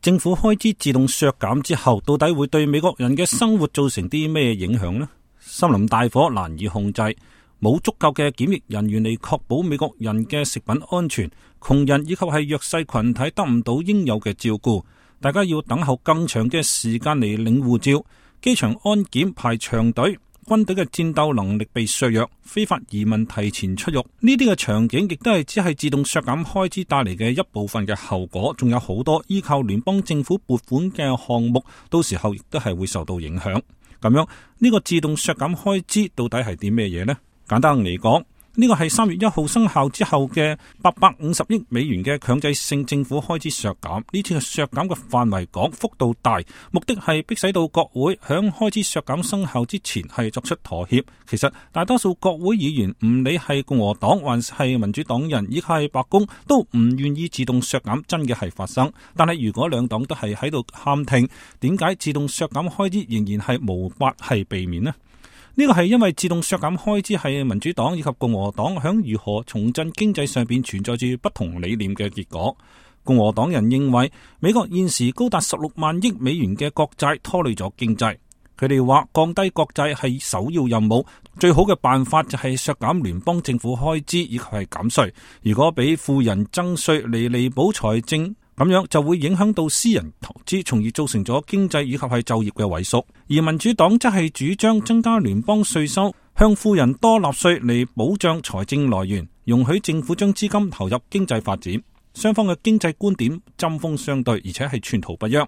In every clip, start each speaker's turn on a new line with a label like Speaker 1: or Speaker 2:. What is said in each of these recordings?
Speaker 1: 政府開支自動削減之後，到底會對美國人嘅生活造成啲咩影響呢？森林大火難以控制，冇足夠嘅檢疫人員嚟確保美國人嘅食品安全，窮人以及係弱勢群體得唔到應有嘅照顧，大家要等候更長嘅時間嚟領護照，機場安檢排長隊，軍隊嘅戰鬥能力被削弱，非法移民提前出獄，呢啲嘅場景亦都係只係自動削減開支帶嚟嘅一部分嘅後果，仲有好多依靠聯邦政府撥款嘅項目，到時候亦都係會受到影響。咁樣呢個自動削減開支到底係啲咩嘢呢？簡單嚟講，呢個係3月1號生效之後嘅850億美元嘅強制性政府開支削減。呢次嘅削減嘅範圍廣，幅度大，目的係迫使到國會響開支削減生效之前係作出妥協。其實大多數國會議員唔理係共和黨還是民主黨人，以及係白宮都唔願意自動削減真嘅係發生。但係如果兩黨都係喺度喊停，點解自動削減開支仍然係無法係避免呢？呢個係因為自動削減開支係民主黨以及共和黨響如何重振經濟上邊存在住不同理念嘅結果。共和黨人認為美國現時高達16萬億美元嘅國債拖累咗經濟，佢哋話降低國債係首要任務，最好嘅辦法就係削減聯邦政府開支以及係減稅。如果俾富人增稅嚟彌補財政，咁樣就會影響到私人投資，從而造成咗經濟以及係就業嘅萎縮。而民主黨則係主張增加聯邦稅收，向富人多納稅嚟保障財政來源，容許政府將資金投入經濟發展。雙方嘅經濟觀點針鋒相對，而且係寸途不約。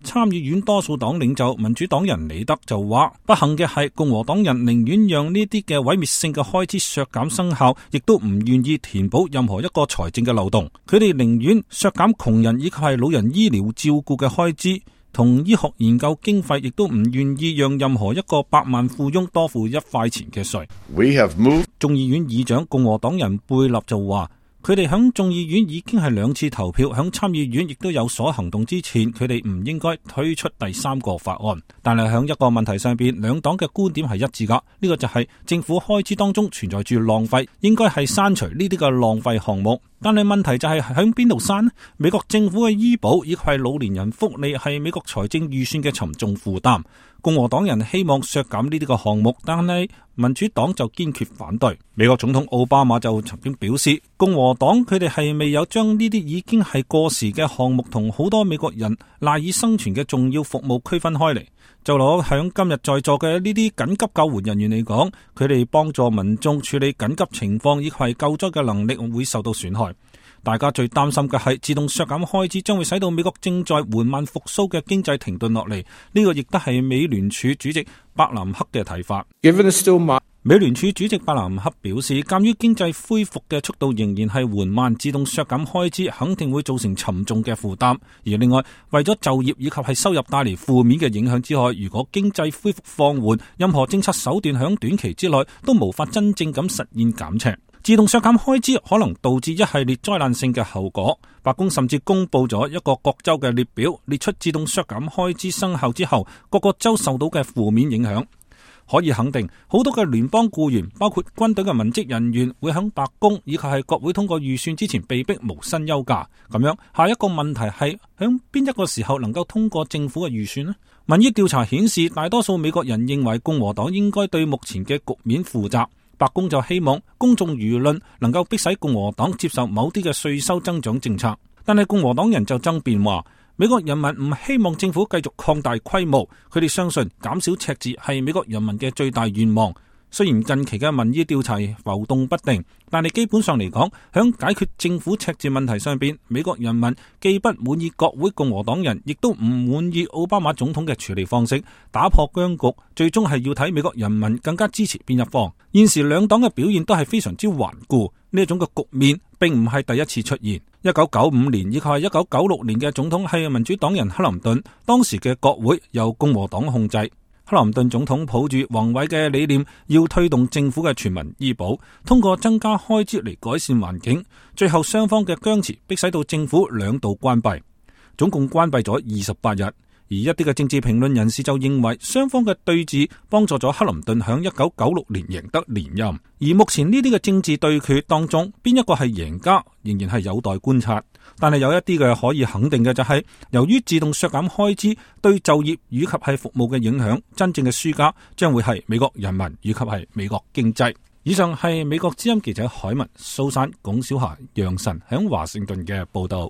Speaker 1: 參議院多數黨領袖民主黨人李德就話，不幸嘅係共和黨人寧願讓呢啲嘅毀滅性嘅開支削減生效，亦都唔願意填補任何一個財政嘅漏洞。佢哋寧願削減窮人以及係老人醫療照顧嘅開支，同醫學研究經費，亦都唔願意讓任何一個百萬富翁多付1塊錢嘅稅。眾議院議長共和黨人貝勒就話，佢哋響眾議院已經係2次投票，響參議院亦都有所行動之前，佢哋唔應該推出第3個法案。但係響一個問題上邊，兩黨嘅觀點係一致噶，呢個就係政府開支當中存在住浪費，應該係刪除呢啲嘅浪費項目。但係問題就係響邊度刪呢？美國政府嘅醫保以及係老年人福利係美國財政預算嘅沉重負擔。共和黨人希望削減呢啲個項目，但係民主黨就堅決反對。美國總統奧巴馬就曾經表示，共和黨佢哋係未有將呢啲已經係過時嘅項目同好多美國人賴以生存嘅重要服務區分開嚟。就攞響今日在座嘅呢啲緊急救援人員嚟講，佢哋幫助民眾處理緊急情況以及係救災嘅能力會受到損害。大家最擔心嘅係自動削減開支將會使到美國正在緩慢復甦嘅經濟停頓落嚟。呢個亦都係美聯儲主席伯南克嘅睇法。美聯儲主席伯南克表示，鑒於經濟恢復嘅速度仍然係緩慢，自動削減開支肯定會造成沉重嘅負擔。而另外，為咗就業以及係收入帶嚟負面嘅影響之外，如果經濟恢復放緩，任何政策手段響短期之內都無法真正咁實現減赤。自動削減開支可能導致一系列災難性嘅後果。白宮甚至公布咗一個各州嘅列表，列出自動削減開支生效之後各個州受到嘅負面影響。可以肯定，好多嘅聯邦僱員，包括軍隊嘅文職人員，會響白宮以及係國會通過預算之前被逼無薪休假。咁樣，下一個問題係響邊一個時候能夠通過政府嘅預算呢？民意調查顯示，大多數美國人認為共和黨應該對目前嘅局面負責。白宮就希望公眾輿論能夠迫使共和黨接受某啲嘅稅收增長政策，但係共和黨人就爭辯話，美國人民唔希望政府繼續擴大規模，佢哋相信減少赤字係美國人民嘅最大願望。雖然近期嘅民意調查浮動不定，但係基本上嚟講，響解決政府赤字問題上邊，美國人民既不滿意國會共和黨人，亦都唔滿意奧巴馬總統嘅處理方式。打破僵局，最終係要睇美國人民更加支持邊一方。現時兩黨嘅表現都係非常之頑固，呢一種嘅局面並唔係第一次出現。1995年以及係1996年嘅總統係民主黨人克林頓，當時嘅國會由共和黨控制。克林頓總統抱住宏偉嘅理念，要推動政府嘅全民醫保，通過增加開支嚟改善環境。最後雙方嘅僵持迫使到政府2度關閉，總共關閉咗28日。而一啲嘅政治評論人士就認為，雙方嘅對峙幫助咗克林頓響1996年贏得連任。而目前呢啲嘅政治對決當中，邊一個係贏家，仍然係有待觀察。但係有一啲嘅可以肯定嘅就係，由於自動削減開支對就業以及係服務嘅影響，真正嘅輸家將會係美國人民以及係美國經濟。以上係美國之音記者海文、蘇珊、龔小霞、楊晨響華盛頓嘅報道。